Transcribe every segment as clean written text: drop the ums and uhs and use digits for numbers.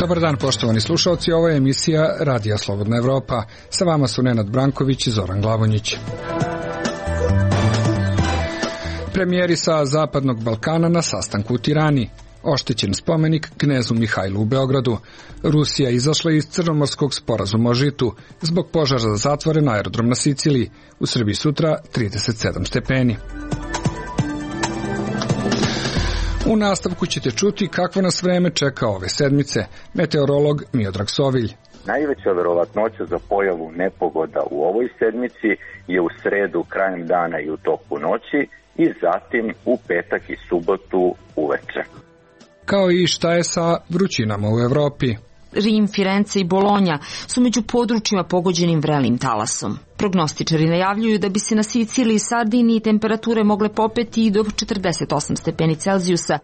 Dobar dan, poštovani slušalci, ovo je emisija Radija Slobodna Evropa. Sa vama su Nenad Branković i Zoran Glavonjić. Premijeri sa Zapadnog Balkana na sastanku u Tirani. Oštećen spomenik knezu Mihajlu u Beogradu. Rusija izašla iz Crnomorskog sporazuma o žitu. Zbog požara zatvoren aerodrom na Siciliji. U Srbiji sutra 37 stepeni. U nastavku ćete čuti kakvo nas vreme čeka ove sedmice. Meteorolog Miodrag Sovilj. Najveća verovatnoća za pojavu nepogoda u ovoj sedmici je u sredu krajem dana i u toku noći i zatim u petak i subotu uveče. Kao i šta je sa vrućinama u Evropi. Rim, Firence i Bolonja su među područjima pogođenim vrelim talasom. Prognostičari najavljuju da bi se na Siciliji i Sardiniji temperature mogle popeti i do 48 stepeni Celzijusa.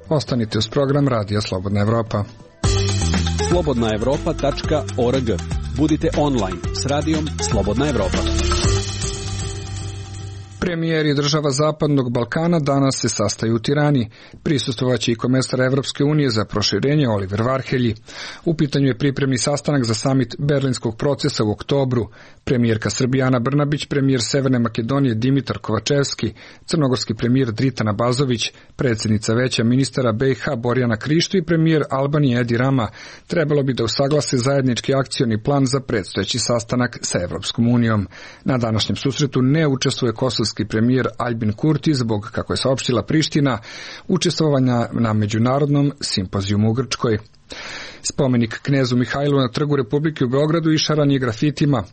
Ostanite uz program Radija Slobodna Evropa. slobodnaevropa.org. Budite online s radijom Slobodna Evropa. Premijeri država Zapadnog Balkana danas se sastaju u Tirani. Prisustvovaće i komesar Evropske unije za proširenje Oliver Varhelji. U pitanju je pripremni sastanak za samit Berlinskog procesa u oktobru. Premijerka Srbije Ana Brnabić, premijer Severne Makedonije Dimitar Kovačevski, crnogorski premijer Dritan Abazović, predsjednica Veća ministara BiH Borjana Krišto i premijer Albanije Edi Rama trebalo bi da usaglase zajednički akcioni plan za predstojeći sastanak sa Evropskom unijom. Na današnjem susretu ne učestvuje kosovski premijer Aljbin Kurti zbog, kako je saopštila Priština, učestvovanja na međunarodnom simpozijumu u Grčkoj. Spomenik knezu Mihajlu na Trgu Republike u Beogradu išaran je grafitima.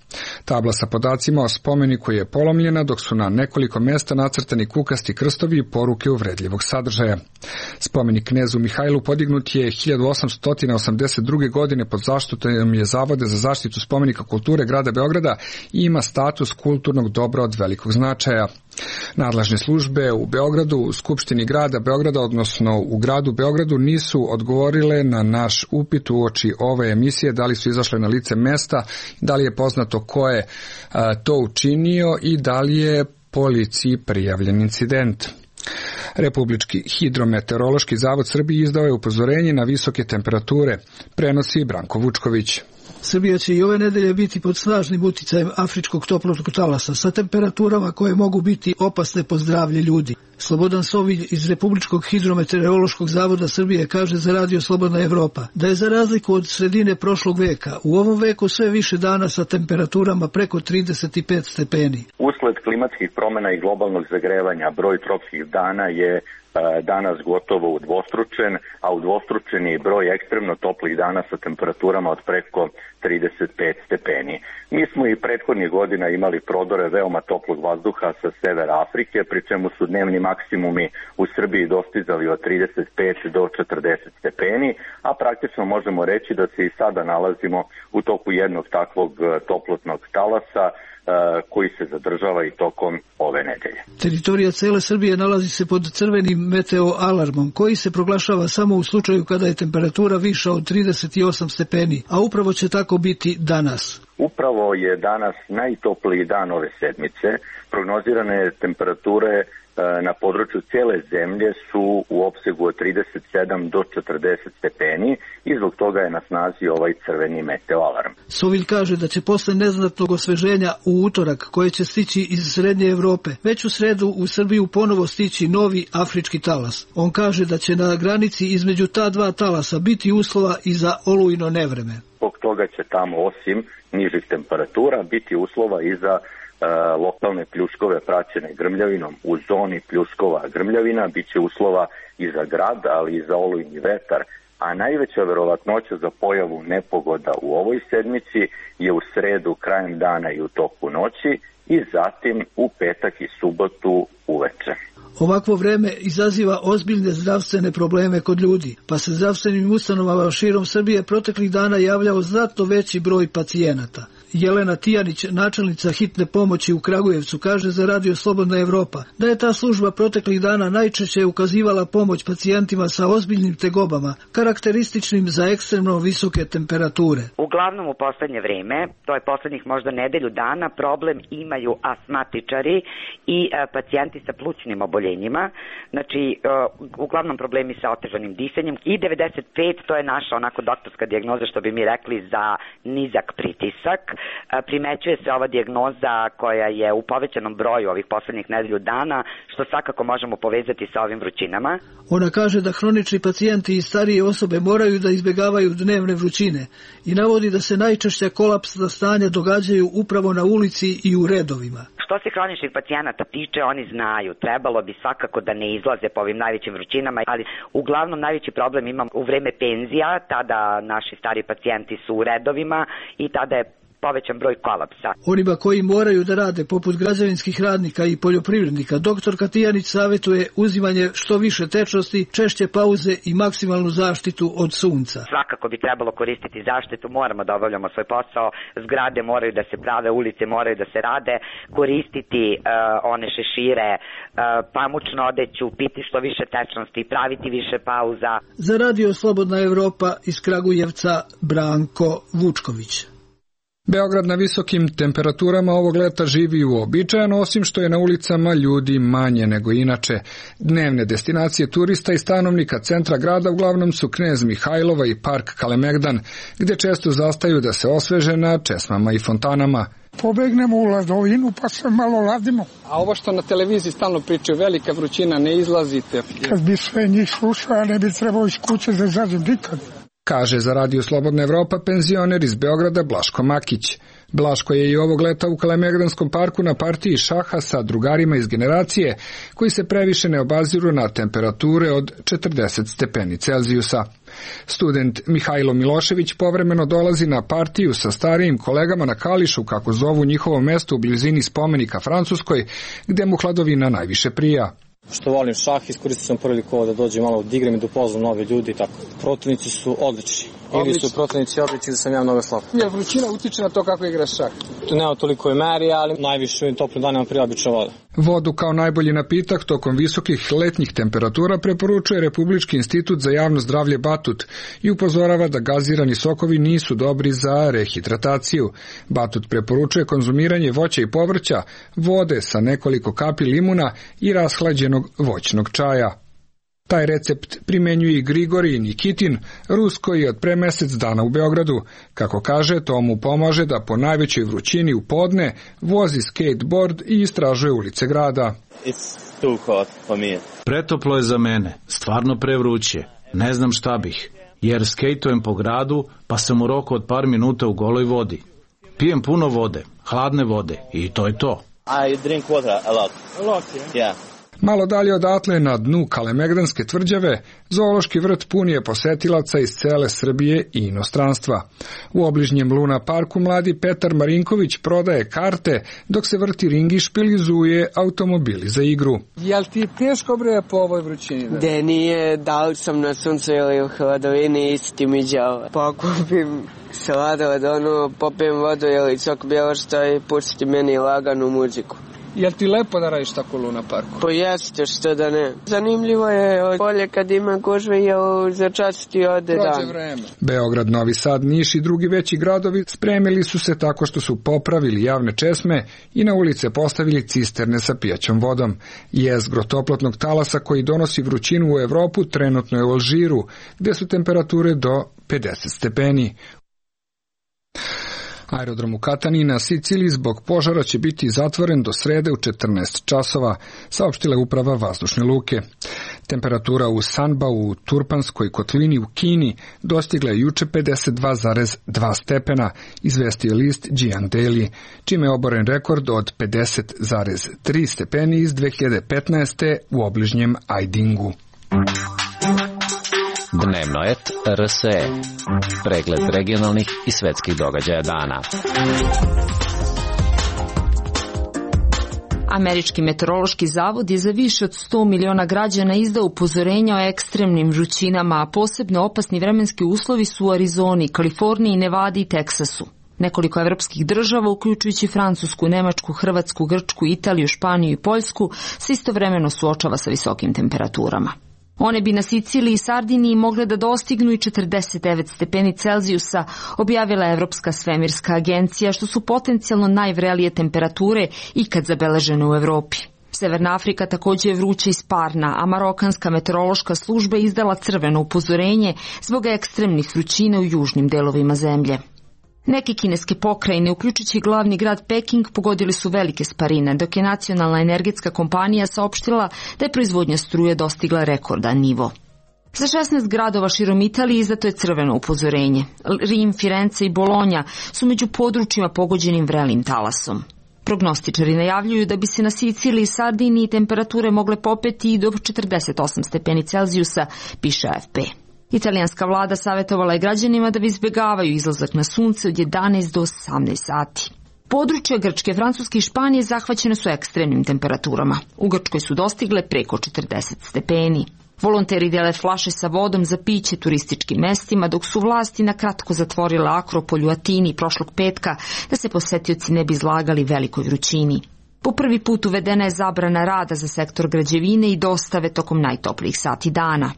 Tabla sa podacima o spomeniku je polomljena, dok su na nekoliko mjesta nacrtani kukasti krstovi i poruke uvredljivog sadržaja. Spomenik knezu Mihajlu podignut je 1882. godine pod zaštitom je Zavode za zaštitu spomenika kulture grada Beograda i ima status kulturnog dobra od velikog značaja. Nadležne službe u Beogradu, u Skupštini grada Beograda, odnosno u gradu Beogradu, nisu odgovorile na naš upit uoči ove emisije, da li su izašle na lice mesta, da li je poznato ko je to učinio i da li je policiji prijavljen incident. Republički hidrometeorološki zavod Srbije izdao je upozorenje na visoke temperature, prenosi Branko Vučković. Srbija će i ove nedelje biti pod snažnim uticajem afričkog toplog talasa sa temperaturama koje mogu biti opasne po zdravlje ljudi. Slobodan Sovilj iz Republičkog hidrometeorološkog zavoda Srbije kaže za Radio Slobodna Evropa da je za razliku od sredine prošlog veka u ovom veku sve više dana sa temperaturama preko 35 stepeni. Usled klimatskih promjena i globalnog zagrevanja broj tropskih dana je danas gotovo udvostručen, a udvostručen je i broj ekstremno toplih dana sa temperaturama od preko 35 stepeni. Mi smo i prethodnih godina imali prodore veoma toplog vazduha sa severa Afrike, pri čemu su dnevni maksimumi u Srbiji dostizali od 35 do 40 stepeni, a praktično možemo reći da se i sada nalazimo u toku jednog takvog toplotnog talasa koji se zadržava i tokom ove nedelje. Teritorija cele Srbije nalazi se pod crvenim meteo alarmom, koji se proglašava samo u slučaju kada je temperatura viša od 38 stepeni, a upravo će tako biti danas. Upravo je danas najtopliji dan ove sedmice. Prognozirane temperature na području cijele zemlje su u opsegu od 37 do 40 stepeni i zbog toga je na snazi ovaj crveni meteo alarm. Sovilj kaže da će posle neznatnog osveženja u utorak, koje će stići iz Srednje Evrope, već u sredu u Srbiju ponovo stići novi afrički talas. On kaže da će na granici između ta dva talasa biti uslova i za olujno nevreme. Zbog toga će tamo osim nižih temperatura biti uslova i za lokalne pljuskove praćene grmljavinom. U zoni pljuskova grmljavina bit će uslova i za grad, ali i za olujni vetar, a najveća verovatnoća za pojavu nepogoda u ovoj sedmici je u sredu krajem dana i u toku noći i zatim u petak i subotu uveče. Ovakvo vreme izaziva ozbiljne zdravstvene probleme kod ljudi, pa se zdravstvenim ustanovama širom Srbije proteklih dana javljao znatno veći broj pacijenata. Jelena Tijanić, načelnica hitne pomoći u Kragujevcu, kaže za Radio Slobodna Evropa da je ta služba proteklih dana najčešće ukazivala pomoć pacijentima sa ozbiljnim tegobama, karakterističnim za ekstremno visoke temperature. Uglavnom u poslednje vreme, to je poslednjih možda nedelju dana, problem imaju astmatičari i pacijenti sa plućnim oboljenjima, znači uglavnom problemi sa otežanim disanjem i 95, to je naša onako doktorska dijagnoza što bi mi rekli za nizak pritisak. Primećuje se ova dijagnoza koja je u povećanom broju ovih poslednjih nedelju dana, što svakako možemo povezati sa ovim vrućinama. Ona kaže da hronični pacijenti i starije osobe moraju da izbjegavaju dnevne vrućine i navodi da se najčešće kolapsna stanja događaju upravo na ulici i u redovima. Što se hroničnih pacijenata tiče, oni znaju, trebalo bi svakako da ne izlaze po ovim najvećim vrućinama, ali uglavnom najveći problem imam u vreme penzija, tada naši stari pacijenti su u redovima i tada je povećan broj kolapsa. Onima koji moraju da rade poput građevinskih radnika i poljoprivrednika, doktorka Tijanić savjetuje uzimanje što više tečnosti, češće pauze i maksimalnu zaštitu od sunca. Svakako bi trebalo koristiti zaštitu, moramo da obavljamo svoj posao, zgrade moraju da se prave, ulice moraju da se rade, koristiti one šešire, pamučnu odeću, piti što više tečnosti, praviti više pauza. Za Radio Slobodna Evropa iz Kragujevca, Branko Vučković. Beograd na visokim temperaturama ovog leta živi uobičajeno, osim što je na ulicama ljudi manje nego inače. Dnevne destinacije turista i stanovnika centra grada uglavnom su Knez Mihajlova i park Kalemegdan, gde često zastaju da se osveže na česmama i fontanama. Pobegnemo u ladovinu pa se malo ladimo. A ovo što na televiziji stalno pričaju, velika vrućina, ne izlazite. Kad bi sve njih slušao, ne bi trebao iz kuće da izađem nikad. Kaže za Radio Slobodna Evropa penzioner iz Beograda Blaško Makić. Blaško je i ovog leta u Kalemegdanskom parku na partiji šaha sa drugarima iz generacije koji se previše ne obaziru na temperature od 40 stepeni Celzijusa. Student Mihajlo Milošević povremeno dolazi na partiju sa starijim kolegama na Kališu, kako zovu njihovo mesto u blizini spomenika Francuskoj, gde mu hladovina najviše prija. Što volim šah, iskoristio sam priliku da dođem malo da igram i da upoznam nove ljudi i tako. Protivnici su odlični. Ili su protivnici odlični da sam ja mnogo slab. Jel vrućina utiče na to kako igraš šah? Tu nema toliko meri, ali najviše u ovim toplim danima prije obična voda. Vodu kao najbolji napitak tokom visokih letnjih temperatura preporučuje Republički institut za javno zdravlje Batut i upozorava da gazirani sokovi nisu dobri za rehidrataciju. Batut preporučuje konzumiranje voća i povrća, vode sa nekoliko kapi limuna i rashlađenog voćnog čaja. Taj recept primenjuje i Grigorij Nikitin, Rus koji je od pre mesec dana u Beogradu. Kako kaže, to mu pomaže da po najvećoj vrućini u podne vozi skateboard i istražuje ulice grada. Pretoplo je za mene, stvarno prevruće. Ne znam šta bih, jer skejtujem po gradu pa sam u roku od par minuta u goloj vodi. Pijem puno vode, hladne vode i to je to. I drink water a lot. Yeah. Malo dalje odatle, na dnu Kalemegdanske tvrđave, zoološki vrt pun je posetilaca iz cele Srbije i inostranstva. U obližnjem Luna parku mladi Petar Marinković prodaje karte, dok se vrti ring i špilizuje automobili za igru. Jel ti teško bre po ovoj vrućini? Da nije, da li sam na suncu ili u hladovini, isti mi đava. Pokupim sladoled, popijem vodu ili sok bjelošta i pusti meni laganu muziku. Jel ti lepo da radiš tako u Luna parku? Pa jeste, što da ne. Zanimljivo je bolje kad ima gužve, jer za čas ti ode dan. Vreme. Beograd, Novi Sad, Niš i drugi veći gradovi spremili su se tako što su popravili javne česme i na ulice postavili cisterne sa pijaćom vodom. Jezgro toplotnog talasa koji donosi vrućinu u Evropu trenutno je u Alžiru, gde su temperature do 50 stepeni. Aerodrom u Katani na Siciliji zbog požara će biti zatvoren do srede u 14 časova, saopštila uprava vazdušne luke. Temperatura u Sanba u Turpanskoj kotlini u Kini dostigla je juče 52,2 stepena, izvestio list Jian Daily, čime je oboren rekord od 50,3 stepeni iz 2015. u obližnjem Ajdingu. Dnevno et RSE. Pregled regionalnih i svetskih događaja dana. Američki meteorološki zavod je za više od 100 miliona građana izdao upozorenja o ekstremnim vrućinama, a posebno opasni vremenski uslovi su u Arizoni, Kaliforniji, Nevadi i Teksasu. Nekoliko evropskih država, uključujući Francusku, Nemačku, Hrvatsku, Grčku, Italiju, Španiju i Poljsku, se istovremeno suočava sa visokim temperaturama. One bi na Siciliji i Sardiniji mogle da dostignu i 49 stepeni Celzijusa, objavila Evropska svemirska agencija, što su potencijalno najvrelije temperature ikad zabeležene u Evropi. Severna Afrika također je vruća i sparna, a marokanska meteorološka služba izdala crveno upozorenje zbog ekstremnih vrućina u južnim delovima zemlje. Neke kineske pokrajine, uključujući glavni grad Peking, pogodili su velike sparine, dok je nacionalna energetska kompanija saopštila da je proizvodnja struje dostigla rekordan nivo. Za 16 gradova širom Italije izdato je crveno upozorenje. Rim, Firence i Bolonja su među područjima pogođenim vrelim talasom. Prognostičari najavljuju da bi se na Siciliji i Sardiniji temperature mogle popeti i do 48 stepeni Celzijusa, piše AFP. Italijanska vlada savjetovala je građanima da izbjegavaju izlazak na sunce od 11 do 18 sati. Područja Grčke, Francuske i Španije zahvaćene su ekstremnim temperaturama. U Grčkoj su dostigle preko 40 stepeni. Volonteri dele flaše sa vodom za piće turističkim mestima, dok su vlasti na kratko zatvorile Akropolj u Atini prošlog petka da se posetioci ne bi izlagali velikoj vrućini. Po prvi put uvedena je zabrana rada za sektor građevine i dostave tokom najtoplijih sati dana.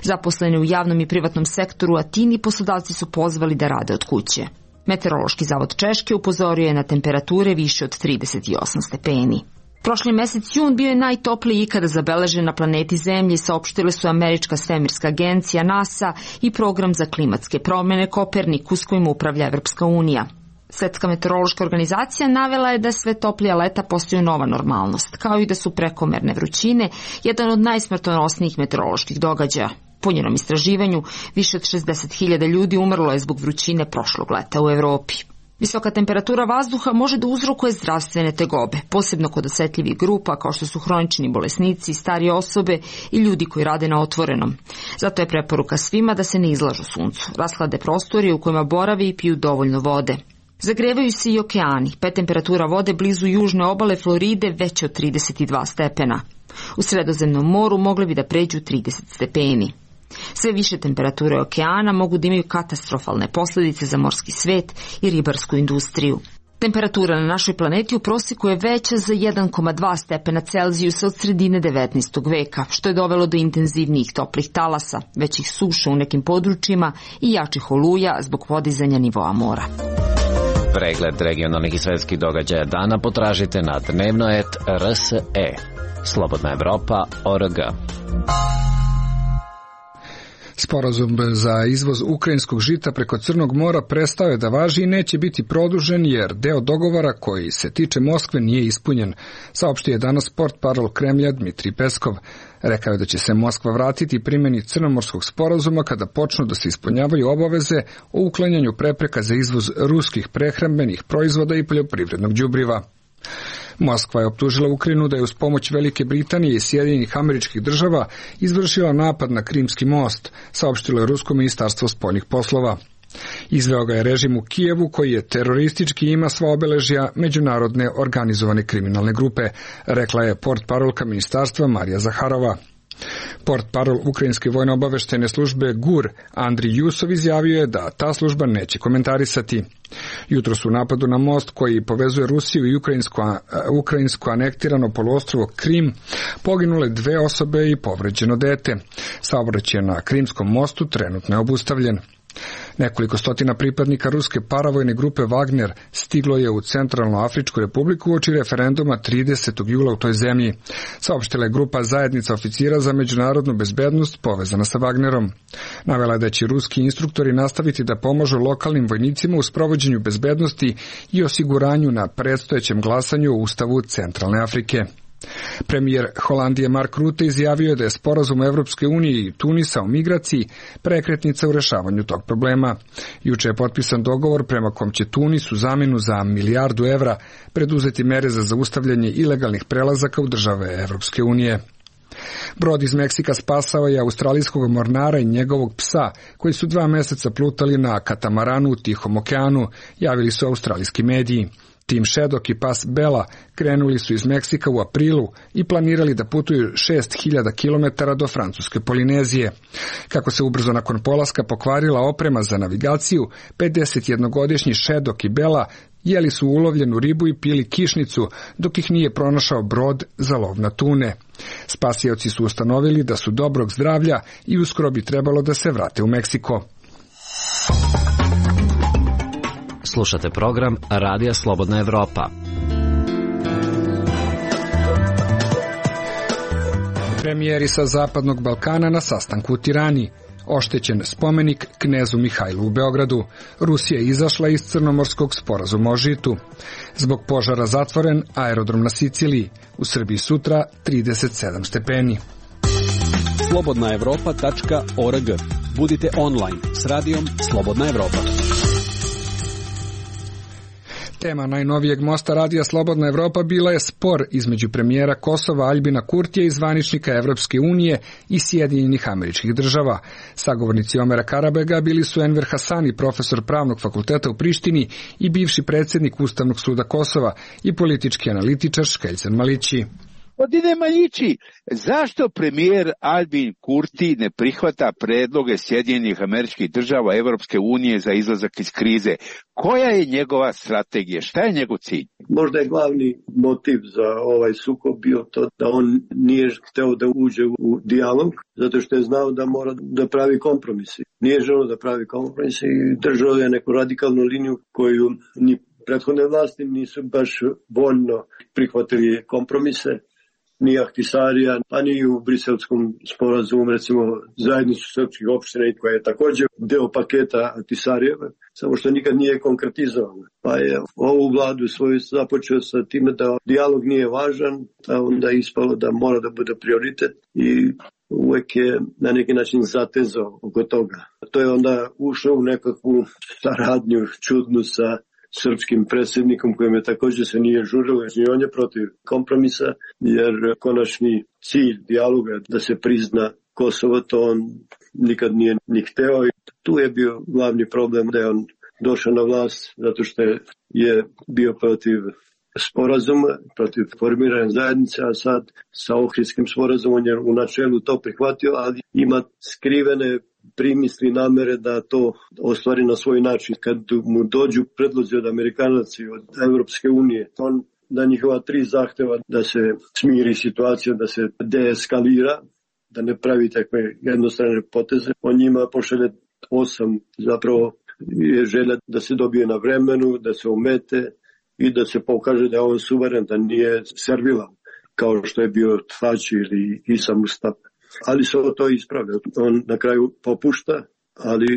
Zaposleni u javnom i privatnom sektoru u Atini poslodavci su pozvali da rade od kuće. Meteorološki zavod Češke upozorio je na temperature više od 38 stepeni. Prošli mesec jun bio je najtopliji ikada zabeležen na planeti Zemlji, saopštile su Američka svemirska agencija NASA i program za klimatske promjene Kopernikus kojim upravlja Evropska unija. Svetska meteorološka organizacija navela je da sve toplija leta postaju nova normalnost, kao i da su prekomerne vrućine jedan od najsmrtonosnijih meteoroloških događaja. Po njenom istraživanju, više od 60.000 ljudi umrlo je zbog vrućine prošlog leta u Evropi. Visoka temperatura vazduha može da uzrokuje zdravstvene tegobe, posebno kod osetljivih grupa kao što su hronični bolesnici, starije osobe i ljudi koji rade na otvorenom. Zato je preporuka svima da se ne izlažu suncu, rashlade prostorije u kojima borave i piju dovoljno vode. Zagrevaju se i okeani, pa je temperatura vode blizu južne obale Floride veća od 32 stepena. U Sredozemnom moru mogle bi da pređu 30 stepeni. Sve više temperature okeana mogu da imaju katastrofalne posljedice za morski svet i ribarsku industriju. Temperatura na našoj planeti u prosjeku je veća za 1,2 stepena Celzijusa od sredine 19. veka, što je dovelo do intenzivnijih toplih talasa, većih suša u nekim područjima i jačih oluja zbog podizanja nivoa mora. Pregled regionalnih i svetskih događaja dana potražite na dnevno.rse. Slobodna Evropa.org. Sporazum za izvoz ukrajinskog žita preko Crnog mora prestao je da važi i neće biti produžen jer deo dogovora koji se tiče Moskve nije ispunjen, saopštio je danas portparol Kremlja Dmitrij Peskov. Rekao je da će se Moskva vratiti primjeni Crnomorskog sporazuma kada počnu da se ispunjavaju obaveze o uklanjanju prepreka za izvoz ruskih prehrambenih proizvoda i poljoprivrednog đubriva. Moskva je optužila Ukrajinu da je uz pomoć Velike Britanije i Sjedinjenih Američkih Država izvršila napad na Krimski most, saopštilo je Rusko ministarstvo spoljnih poslova. Izveo ga je režim u Kijevu koji je teroristički i ima sva obeležja međunarodne organizovane kriminalne grupe, rekla je portparolka ministarstva Marija Zaharova. Portparol Ukrajinske vojno-obaveštene službe GUR Andrij Jusov izjavio je da ta služba neće komentarisati. Jutros u napadu na most koji povezuje Rusiju i ukrajinsko anektirano poluostrvo Krim poginule 2 osobe i povređeno dete. Saobraćaj na Krimskom mostu trenutno je obustavljen. Nekoliko stotina pripadnika ruske paravojne grupe Wagner stiglo je u Centralnoafričku republiku uoči referenduma 30. jula u toj zemlji. Saopštila je grupa Zajednica oficira za međunarodnu bezbednost povezana sa Wagnerom. Navela je da će ruski instruktori nastaviti da pomažu lokalnim vojnicima u sprovođenju bezbednosti i osiguranju na predstojećem glasanju o Ustavu Centralne Afrike. Premijer Holandije Mark Rutte izjavio je da je sporazum Evropske unije i Tunisa o migraciji prekretnica u rešavanju tog problema. Juče je potpisan dogovor prema kom će Tunis u zamjenu za $1 milijardu preduzeti mere za zaustavljanje ilegalnih prelazaka u države Evropske unije. Brod iz Meksika spasao je australijskog mornara i njegovog psa, koji su 2 meseca plutali na katamaranu u Tihom okeanu, javili su australijski mediji. Tim Šedok i pas Bela krenuli su iz Meksika u aprilu i planirali da putuju 6000 km do francuske Polinezije. Kako se ubrzo nakon polaska pokvarila oprema za navigaciju, 51-godišnji Šedok i Bela jeli su ulovljenu ribu i pili kišnicu, dok ih nije pronašao brod za lov na tune. Spasioci su ustanovili da su dobrog zdravlja i uskoro bi trebalo da se vrate u Meksiko. Slušate program Radija Slobodna Evropa. Premijeri sa Zapadnog Balkana na sastanku u Tirani. Oštećen spomenik knezu Mihajlu u Beogradu. Rusija je izašla iz Crnomorskog sporazuma o žitu. Zbog požara zatvoren aerodrom na Siciliji. U Srbiji sutra 37 stepeni. slobodnaevropa.org. Budite online s radijom Slobodna Evropa. Tema najnovijeg mosta Radija Slobodna Evropa bila je spor između premijera Kosova Aljbina Kurtija i zvaničnika Evropske unije i Sjedinjenih Američkih Država. Sagovornici Omera Karabega bili su Enver Hasani, profesor Pravnog fakulteta u Prištini i bivši predsjednik Ustavnog suda Kosova i politički analitičar Škeljcan Malići. Gospodine Maljići, zašto premijer Aljbin Kurti ne prihvata predloge Sjedinjenih Američkih Država Evropske unije za izlazak iz krize? Koja je njegova strategija? Šta je njegov cilj? Možda je glavni motiv za ovaj sukob bio to da on nije hteo da uđe u dijalog, zato što je znao da mora da pravi kompromisi. Nije želeo da pravi kompromisi i držao je neku radikalnu liniju koju ni prethodne vlasti nisu baš voljno prihvatili kompromise. Ni Ahtisarija, pa ni u Briselskom sporazumu, recimo zajednicu srpskih opština koja je također deo paketa Ahtisarijeva, samo što nikad nije konkretizovano. Pa je ovu vladu svoju započeo sa time da dijalog nije važan, a onda je ispalo da mora da bude prioritet i uvek je na neki način zatezao oko toga. To je onda ušao u nekakvu saradnju čudnu sa srpskim predsjednikom kojem je također se nije žurilo, jer on je protiv kompromisa, jer konačni cilj dijaloga da se prizna Kosovo, to on nikad nije ni hteo. I tu je bio glavni problem da je on došao na vlast zato što je bio protiv sporazuma, protiv formiranja zajednice, a sad sa Ohridskim sporazumom je u načelu to prihvatio, ali ima skrivene primisli namere da to ostvari na svoj način. Kad mu dođu predlozi od Amerikanaca i od Evropske unije, on na njihova 3 zahteva da se smiri situacija, da se deeskalira, da ne pravi takve jednostrane poteze. On njima pošalje 8, zapravo je želja da se dobije na vremenu, da se omete i da se pokaže da je on suveren, da nije servilan, kao što je bio Tfači ili Isa Mustafa. Ali se to ispravlja. On na kraju popušta, ali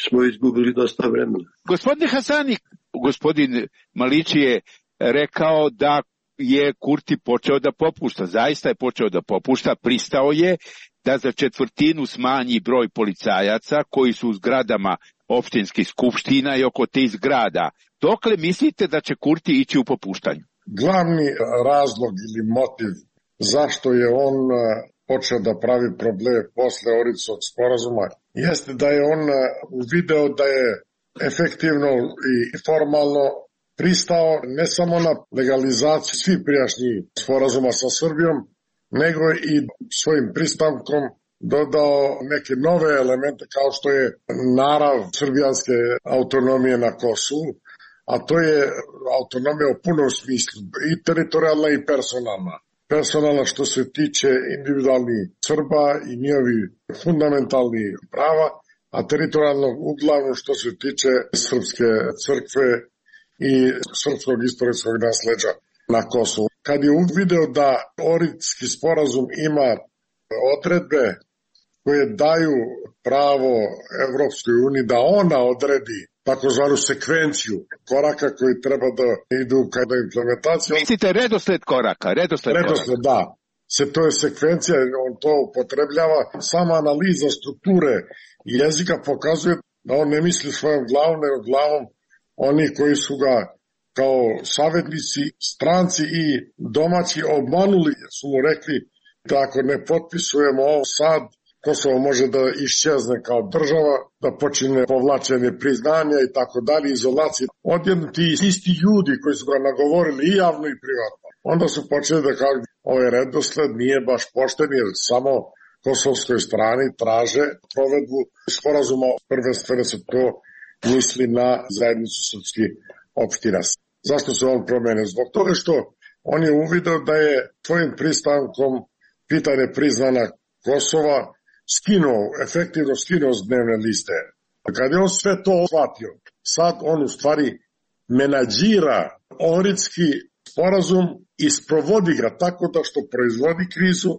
smo izgubili dosta vremena. Gospodine Hasani, gospodin Malići je rekao da je Kurti počeo da popušta. Zaista je počeo da popušta. Pristao je da za 1/4 smanji broj policajaca koji su u zgradama opštinskih skupština i oko tih zgrada. Dokle mislite da će Kurti ići u popuštanju? Glavni razlog ili motiv zašto je on počeo da pravi problem posle Ohridskog sporazuma jeste da je on uvideo da je efektivno i formalno pristao ne samo na legalizaciju svih prijašnjih sporazuma sa Srbijom, nego i svojim pristankom dodao neke nove elemente kao što je narav srbijanske autonomije na Kosovu, a to je autonomija u punom smislu, i teritorijalna i personalna. Personalna što se tiče individualnih Srba i njihovi fundamentalnih prava, a teritorijalno uglavnom što se tiče srpske crkve i srpskog istorijskog nasleđa na Kosovu. Kad je uvideo da Ohridski sporazum ima odredbe koje daju pravo Evropskoj uniji da ona odredi takozvanu sekvenciju koraka koji treba da idu kada implementacija. Mislite redosled koraka? Redosled, da. To je sekvencija, on to upotrebljava. Sama analiza strukture jezika pokazuje da on ne misli svojom glavom, nego glavom oni koji su ga kao savetnici, stranci i domaći obmanuli, su mu rekli da ako ne potpisujemo ovo sad, Kosovo može da iščezne kao država, da počine povlačenje priznanja i tako dalje, izolacije. Odjedno ti isti ljudi koji su ga nagovorili i javno i privatno, onda su počeli da kažu ovaj redosled nije baš pošten jer samo kosovskoj strani traže provedbu sporazuma. Prvenstveno se to misli na zajednicu srpskih opština. Zašto se on promene? Zbog toga što on je uvideo da je svojim pristankom pitanje priznana Kosova efektivno skinuo s dnevne liste. Kad je on sve to shvatio, sad on u stvari menadžira Ohridski sporazum i sprovodi ga tako da što proizvodi krizu,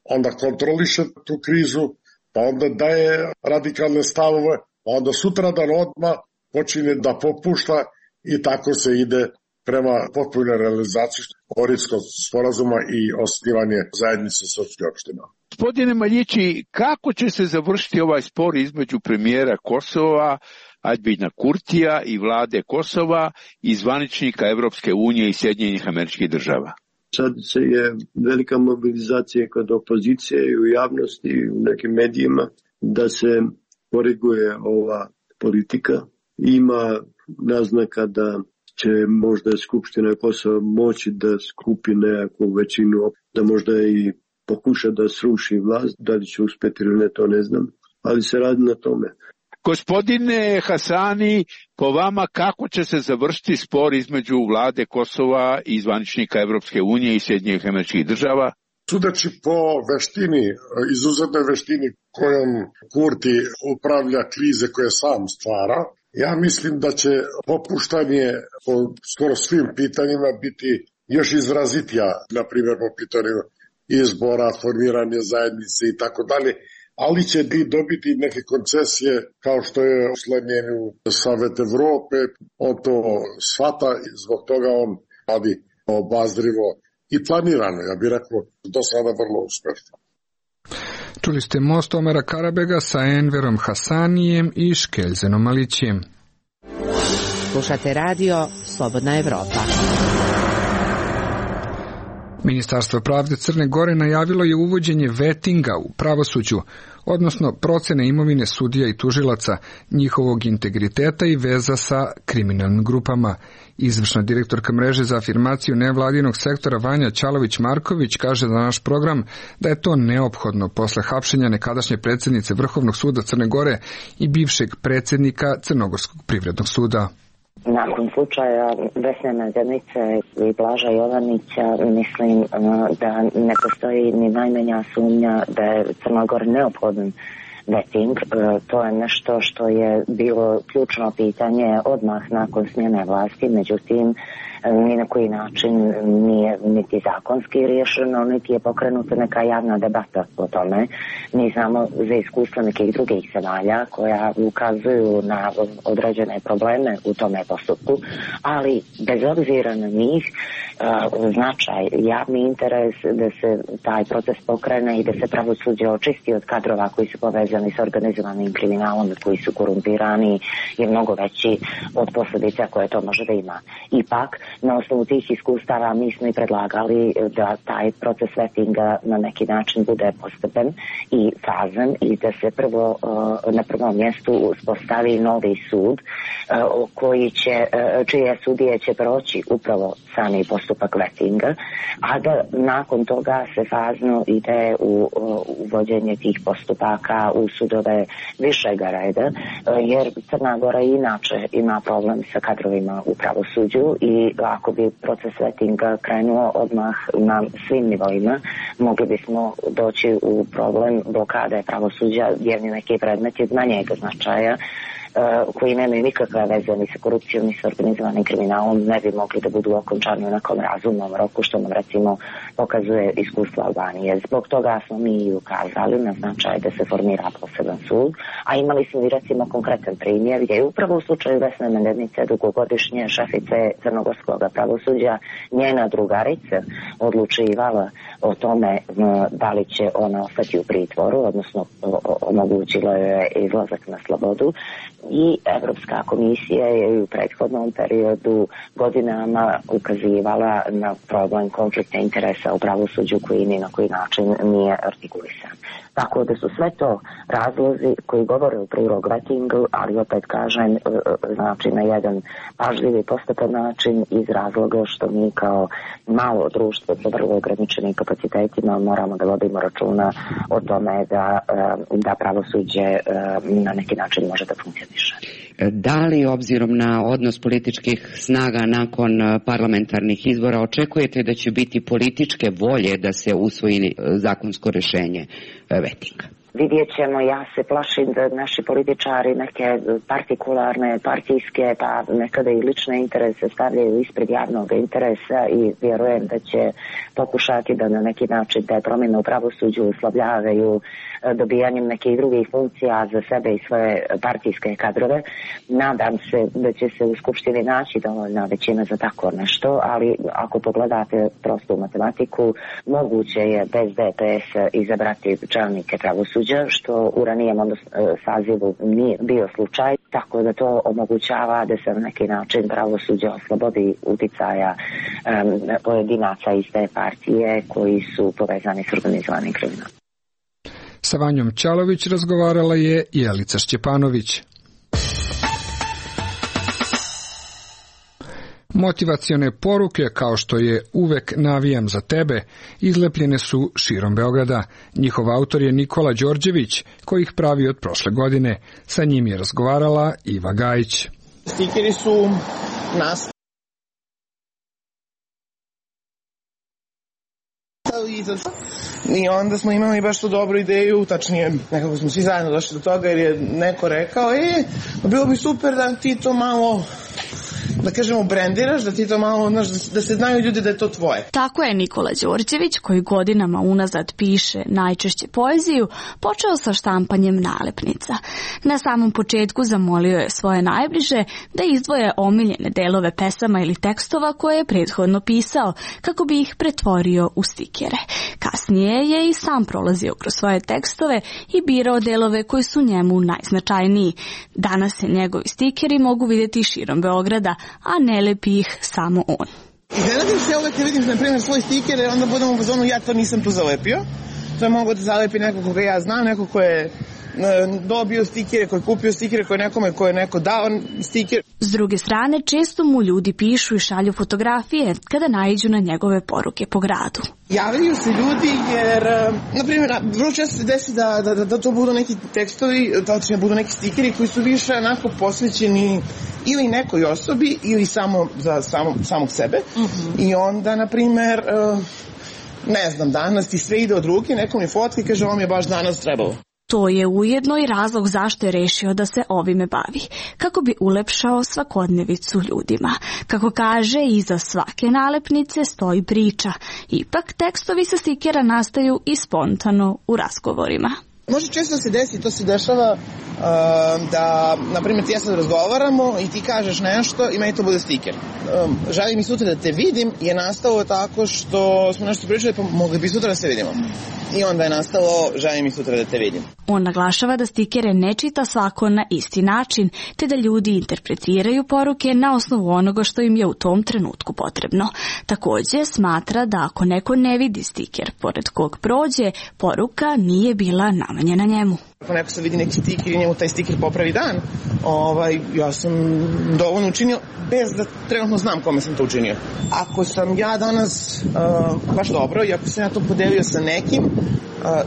onda kontroliše tu krizu, pa onda daje radikalne stavove, pa onda sutradan odmah počinje da popušta i tako se ide prema potpunoj realizaciji Ohridskog sporazuma i osnivanje zajednice srpskih opština. Gospodine Maljići, kako će se završiti ovaj spor između premijera Kosova, Aljbina Kurtija i vlade Kosova i zvaničnika Evropske unije i Sjedinjenih Američkih Država? Sad je velika mobilizacija kod opozicije i u javnosti i u nekim medijima da se koriguje ova politika. Ima naznaka da će možda Skupština Kosova moći da skupi nekakvu većinu, da možda i pokuša da sruši vlast, da li će uspeti ili ne, to ne znam, ali se radi na tome. Gospodine Hasani, po vama kako će se završiti spor između vlade Kosova i zvaničnika Evropske unije i Sjedinjenih Američkih Država? Sudeći po veštini, izuzetnoj veštini kojom Kurti upravlja krize koje sam stvara, ja mislim da će popuštanje po skoro svim pitanjima biti još izrazitija, na primjer po pitanju izbora, formiranje zajednice i tako dalje, ali će dobiti neke koncesije kao što je uslednjenju Savet Evrope, on to shvata i zbog toga on radi obazrivo i planirano, ja bih rekao, do sada vrlo uspešno. Čuli ste Most Omera Karabega sa Enverom Hasanijem i Škeljzenom Malićijem. Slušate radio Slobodna Evropa. Ministarstvo pravde Crne Gore najavilo je uvođenje vetinga u pravosuđu, odnosno procene imovine sudija i tužilaca, njihovog integriteta i veza sa kriminalnim grupama. Izvršna direktorka mreže za afirmaciju nevladinog sektora Vanja Ćalović-Marković kaže za naš program da je to neophodno posle hapšenja nekadašnje predsjednice Vrhovnog suda Crne Gore i bivšeg predsjednika Crnogorskog privrednog suda. Nakon slučaja Vesne Medenice i Blaža Jovanića mislim da ne postoji ni najmanja sumnja da je Crna Gora neophodan veting. To je nešto što je bilo ključno pitanje odmah nakon smjene vlasti, međutim ni na koji način nije niti zakonski riješeno, niti je pokrenuta neka javna debata o tome. Mi znamo za iskustva nekih drugih zemalja koja ukazuju na određene probleme u tome postupku, ali bez obzira na njih značaj, javni interes da se taj proces pokrene i da se pravosuđe očisti od kadrova koji su povezani s organizovanim kriminalom i koji su korumpirani je mnogo veći od posljedica koje to može da ima. Ipak, na osnovu tih iskustava mi smo i predlagali da taj proces vetinga na neki način bude postepen i fazan i da se prvo na prvom mjestu uspostavi novi sud čije sudije će proći upravo sami postupak vetinga, a da nakon toga se fazno ide u uvođenje tih postupaka u sudove višega reda, jer Crna Gora inače ima problem sa kadrovima u pravosuđu i ako bi proces vetinga krenuo odmah na svim nivoima, mogli bismo doći u problem blokade pravosuđa jer neki predmeti od manjeg značaja koji nemaju nikakve veze ni sa korupcijom ni sa organizovanim kriminalom ne bi mogli da budu okončani u nekom razumnom roku, što nam recimo pokazuje iskustvo Albanije. Zbog toga smo mi ukazali na značaj da se formira poseban sud, a imali smo i recimo konkretan primjer gdje je upravo u slučaju Vesne Medenice, dugogodišnje šefice crnogorskog pravosuđa, njena drugarica odlučivala o tome da li će ona ostati u pritvoru, odnosno omogućilo je izlazak na slobodu. I Evropska komisija je u prethodnom periodu godinama ukazivala na problem konflikta interesa u pravosuđu koji ni na koji način nije artikulisan. Tako da su sve to razlozi koji govore u prilog vetingu, ali opet kažem, znači na jedan pažljivi postepen način iz razloga što mi kao malo društvo sa vrlo ograničenim kapacitetima moramo da vodimo računa o tome da pravosuđe na neki način može da funkcioniše. Da li, obzirom na odnos političkih snaga nakon parlamentarnih izbora, očekujete da će biti političke volje da se usvoji zakonsko rešenje vetinga? Vidjet ćemo, ja se plašim da naši političari neke partikularne, partijske, pa nekada i lične interese stavljaju ispred javnog interesa i vjerujem da će pokušati da na neki način te promjene u pravosuđu uslovljavaju dobijanjem nekih drugih funkcija za sebe i svoje partijske kadrove. Nadam se da će se u Skupštini naći dovoljna većina za tako nešto, ali ako pogledate prostu matematiku, moguće je bez DPS izabrati čelnike pravosuđa, što u ranijem sazivu nije bio slučaj, tako da to omogućava da se na neki način pravosuđe oslobodi uticaja pojedinaca iz te partije koji su povezani s organizovanim kriminalom. Sa Vanjom Ćalović razgovarala je Jelica Šćepanović. Motivacione poruke, kao što je Uvek navijam za tebe, izlepljene su širom Beograda. Njihov autor je Nikola Đorđević, koji ih pravi od prošle godine. Sa njim je razgovarala Iva Gajić. Stikeri su nas i onda smo imali baš tu dobru ideju, tačnije nekako smo svi zajedno došli do toga jer je neko rekao bilo bi super da ti to malo, da kažemo, brendiraš, da ti to malo, da se znaju ljudi da je to tvoje. Tako je Nikola Đorđević, koji godinama unazad piše najčešće poeziju, počeo sa štampanjem nalepnica. Na samom početku zamolio je svoje najbliže da izdvoje omiljene delove pesama ili tekstova koje je prethodno pisao, kako bi ih pretvorio u stikere. Kasnije je i sam prolazio kroz svoje tekstove i birao delove koji su njemu najznačajniji. Danas se njegovi stikeri mogu vidjeti širom Beograda, a ne lepi ih samo on. Iznenadim se uvek kad vidim, na primjer, svoj stiker, jer onda budem u fazonu, ja to nisam tu zalepio. To je mogo da zalepi neko koga ja znam, neko ko je dobio stikere, koji je kupio stikere, koji je nekome, koji je neko dao stiker. S druge strane, često mu ljudi pišu i šalju fotografije kada naiđu na njegove poruke po gradu. Javljaju se ljudi jer, na primjer, vrlo često se desi da to budu neki tekstovi, tačnije budu neki stikeri koji su više onako posvećeni ili nekoj osobi ili samo za samog sebe. I onda, na primjer, ne znam, danas ti sve ide od ruke, neko mi fotka i kaže ovo mi je baš danas trebalo. To je ujedno i razlog zašto je rešio da se ovime bavi, kako bi ulepšao svakodnevicu ljudima. Kako kaže, iza svake nalepnice stoji priča. Ipak tekstovi sa stikera nastaju i spontano u razgovorima. Može često se desi, to se dešava da, na primjer, ti ja sad razgovaramo i ti kažeš nešto i meni to bude stiker. Želim i sutra da te vidim je nastalo tako što smo nešto pričali, pa mogli bi sutra da se vidimo. I onda je nastalo želim i sutra da te vidim. On naglašava da stikere ne čita svako na isti način, te da ljudi interpretiraju poruke na osnovu onoga što im je u tom trenutku potrebno. Takođe smatra da ako neko ne vidi stiker pored kog prođe, poruka nije bila namenjena njemu. Ako neko se vidi neki stiker i njemu taj stiker popravi dan, ja sam dovoljno učinio bez da trenutno znam kome sam to učinio. Ako sam ja danas baš dobro i ako sam ja to podelio sa nekim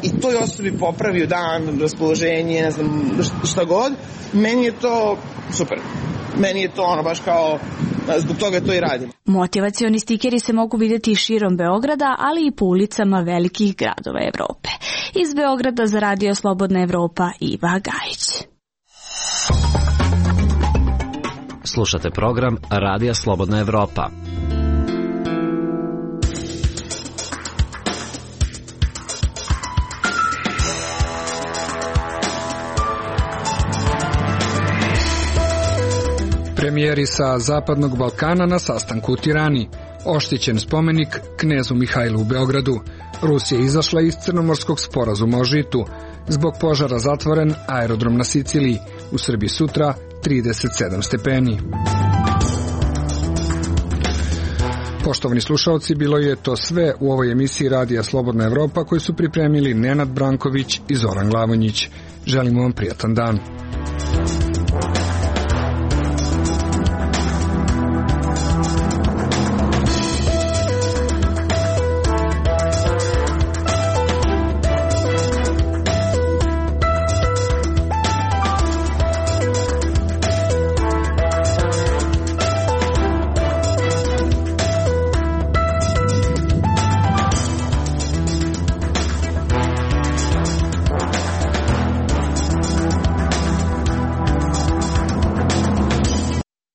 i toj osobi popravio dan, raspoloženje, ne znam šta god, meni je to super. Meni je to baš kao, zbog toga to i radim. Motivacioni stikeri se mogu vidjeti širom Beograda, ali i po ulicama velikih gradova Evrope. Iz Beograda za Radio Slobodna Evropa, Iva Gajić. Slušate program Radija Slobodna Evropa. Premijeri sa Zapadnog Balkana na sastanku u Tirani. Oštićen spomenik knezu Mihajlu u Beogradu. Rusija izašla iz Crnomorskog sporazuma o žitu. Zbog požara zatvoren aerodrom na Siciliji. U Srbiji sutra 37 stepeni. Poštovani slušalci, bilo je to sve u ovoj emisiji Radija Slobodna Evropa koju su pripremili Nenad Branković i Zoran Glavonjić. Želimo vam prijatan dan.